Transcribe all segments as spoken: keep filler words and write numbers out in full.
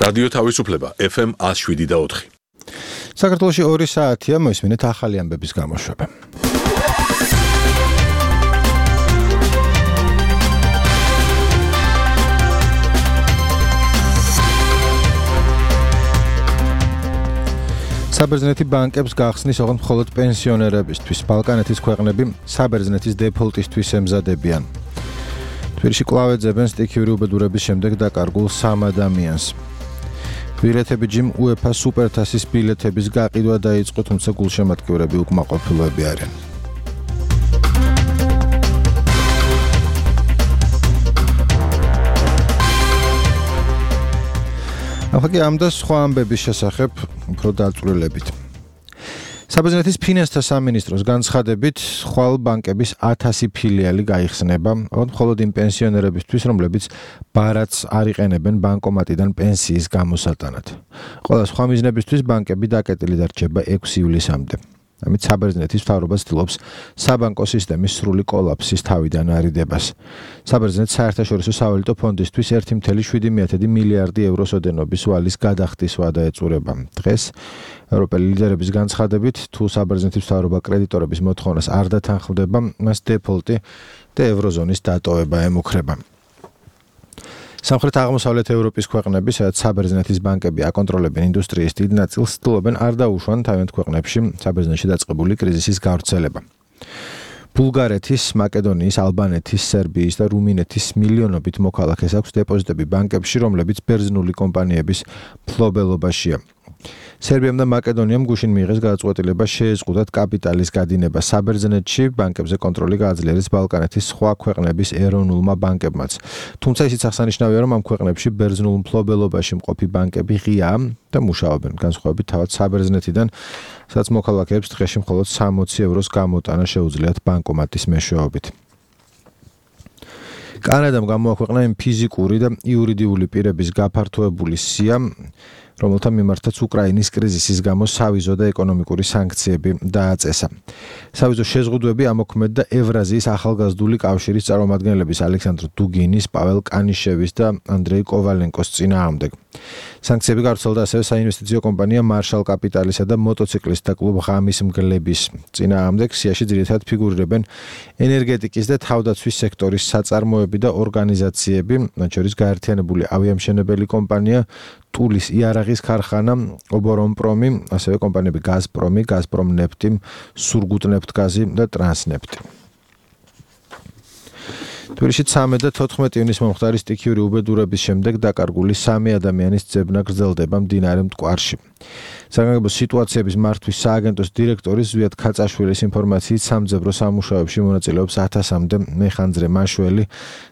რადიო თავისუფლება ეფ ემ one oh seven და four. საქართველოში ორი საათია, მოისმინეთ ახალი ამბების გამოშვება. საბერძნეთი ბანკებს გახსნის ოღონდ მხოლოდ პენსიონერებისთვის. ბალკანეთის ქვეყნები საბერძნეთის დეფოლტისთვის ემზადებიან. თბილისში კვლავ ეძებენ სტიქიური უბედურების შემდეგ დაკარგულ სამ ადამიანს. ბილეთები ჯიმ უეფა სუპერთასის ბილეთების გაყიდვა დაიწყო, თუმცა გულშემატკივრები უკმაყოფილოები არიან. ახლა ამ და სხვა ამბების შესახებ უფრო დაწვრილებით. საბერძნეთის ფინანსთა სამინისტროს განცხადებით, ხვალ ბანკების ათასი ფილიალი გაიხსნება, მხოლოდ იმ პენსიონერებისთვის, რომლებიც ბარათს არ იყენებენ ბანკომატიდან პენსიის გამოსატანად. ყველა სხვა მიზნებისთვის ბანკები დაკეტილი დარჩება ექვსი ივლისამდე. ამით საბერძნეთის მთავრობა ცდილობს საბანკო სისტემის სრული კოლაფსის თავიდან არიდებას. საბერძნეთის საერთაშორისო სავალუტო ფონდისთვის one point seven მილიარდი ევროს ოდენობის ვალის გადახდის ვადა ეწურება. დღეს ევროპელი ლიდერების განცხადებით, თუ საბერძნეთის მთავრობა კრედიტორების მოთხოვნას არ დათანხმდება, მას დეფოლტი და ევროზონის დატოვება ემუქრება. სამხრეთ აღმოსავლეთ ევროპის ქვეყნები, სადაც საბერძნეთის ბანკები აკონტროლებენ ინდუსტრიის დიდ ნაწილს, ცდილობენ არ დაუშვან თავიანთ ქვეყნებში საბერძნეთში დაწყებული კრიზისის გავრცელება. ბულგარეთის, მაკედონიის, ალბანეთის, სერბიის და რუმინეთის მილიონობით მოქალაქეს აქვს დეპოზიტები ბანკებში, რომლებიც ბერძნული კომპანიების მფლობელობაშია. სერბიამ და მაკედონიამ გუშინ მიიღეს გადაწყვეტილება შეეზღუდათ კაპიტალის გადინება საბერძნეთში, ბანკებზე კონტროლი გააძლიერეს ბალკანეთის სხვა ქვეყნების ეროვნულმა ბანკებმაც. თუმცა ისიც აღსანიშნავია, რომ ამ ქვეყნებში ბერძნულ მფლობელობაში მყოფი ბანკები ღიაა და მუშაობენ, განსხვავებით თავად საბერძნეთიდან, სადაც მოქალაქეებს დღეში მხოლოდ სამოცი ევროს გამოტანა შეუძლიათ ბანკომატის მეშვეობით. კანადამ გამოაქვეყნა იმ ფიზიკური და იურიდიული პირების გაფართოებული სია, რომელთა მიმართაც უკრაინის კრიზისის გამო სავიზო და ეკონომიკური სანქციები დააწესა. სავიზო შეზღუდვები ამოქმედდა ევრაზიის ახალგაზრდული კავშირის წარმომადგენლების ალექსანდრ დუგინის, პაվել კანიშევის და ანდრეი კოვალენკოს წინააღმდეგ. სანქციები გავრცელდა ასევე საინვესტიციო კომპანია მარშალ კაპიტალისა და მოტოციკლისტთა კლუბ ღამის მგლების წინააღმდეგ. სიაში ძირითადად ფიგურირებენ ენერგეტიკის და თავდაცვის სექტორის საწარმოები და ორგანიზაციები, მათ შორის გაერთიანებული ავიამშენებელი კომპანია, ტულის იარაღის ქარხანა, ობორონპრომი, ასევე კომპანიები გაზპრომი, გაზპრომნეფტი, სურგუტნეფტგაზი და ტრანსნეფტი. თბილისში ცამეტ და თოთხმეტ ივნის მომხდარი სტიქიური უბედურების შემდეგ დაკარგული სამი ადამიანის ძებნა გრძელდება მდინარე მტკვარში. საგანგებო სიტუაციების მართვის სააგენტოს დირექტორი ზვიად ქაწაშვილის ინფორმაციით სამძებრო სამუშაოებში მონაწილეობს ათასამდე მეხანძრე მაშველი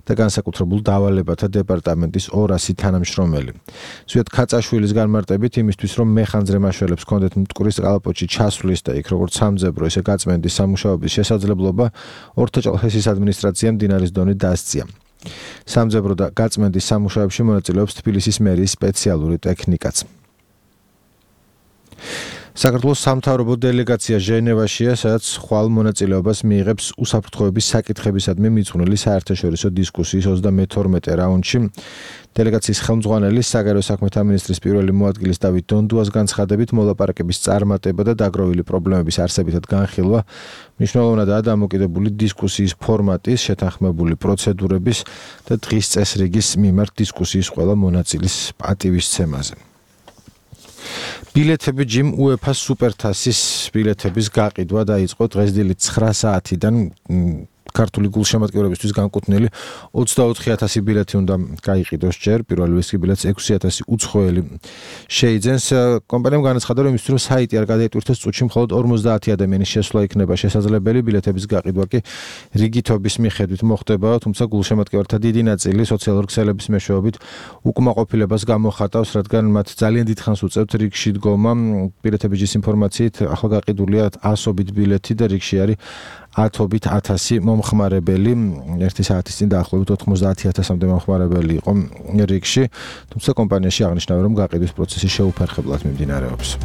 და განსაკუთრებულ დავალებათა დეპარტამენტის ორასი თანამშრომელი. ზვიად ქაწაშვილის განმარტებით იმისთვის, რომ მეხანძრე მაშველებს ჰქონდეთ მტკვრის კალაპოტში ჩასვლის და იქ როგორც სამძებრო, ისე გაწმენდის სამუშაოების შესაძლებლობა, ორთაჭალხეთის ადმინისტრაციამ მდინარის დონე დასწია. სამძებრო და გაწმენდის სამუშაოებში მონაწილეობს თბილისის მერიის სპეციალური ტექნიკაც. საქართველოს სამთავრობო დელეგაცია ჟენევაშია, სადაც ხვალ მონაწილეობას მიიღებს უსაფრთხოების საკითხებისადმი მიძღვნილი საერთაშორისო დისკუსიის ოცდამეთორმეტე რაუნდში. დელეგაციის ხელმძღვანელი საგარეო საქმეთა მინისტრის პირველი მოადგილის დავით დონდუას განცხადებით, მოლაპარაკების წარმატება და დაგროვილი პრობლემების არსებითად განხილვა მნიშვნელოვნადაა დამოკიდებული დისკუსიის ფორმატის, შეთანხმებული პროცედურების და დღის წესრიგის მიმართ დისკუსიის ყველა მონაწილის პატივისცემაზე. ბილეთები ჯიმ უეფა სუპერთასის ბილეთების გაყიდვა დაიწყო დღეს დილით ცხრა საათიდან. ქართული გულშემატკივრებისთვის განკუთვნილი ოცდაოთხი ათასი ბილეთი უნდა გაიყიდოს ჯერ, პირველი ვისკი ბილეთს ექვსი ათასი უცხოელი შეიძენს. კომპანიამ განაცხადა, რომ იმისთვის, რომ საიტი არ გადაიტვირთოს, წუთში მხოლოდ ორმოცდაათი ადამიანის შესვლა იქნება შესაძლებელი, ბილეთების გაყიდვა კი რიგითობის მიხედვით მოხდება, თუმცა გულშემატკივართა დიდი ნაწილი სოციალურ ქსელების მეშვეობით უკმაყოფილებას გამოხატავს, რადგან მათ ძალიან დიდ ხანს უწევთ რიგში დგომა. ბილეთების ინფორმაციით ახლა გაყიდულია ასობით ბილეთი და რიგში არის ათობით ათასი მომხმარებელი. ერთი საათის წინ დაახლოებით ოთხმოცდაათი ათასამდე მომხმარებელი იყო რიგში, თუმცა კომპანიაში აღნიშნავენ, რომ გაყიდვის პროცესი შეუფერხებლად მიმდინარეობს.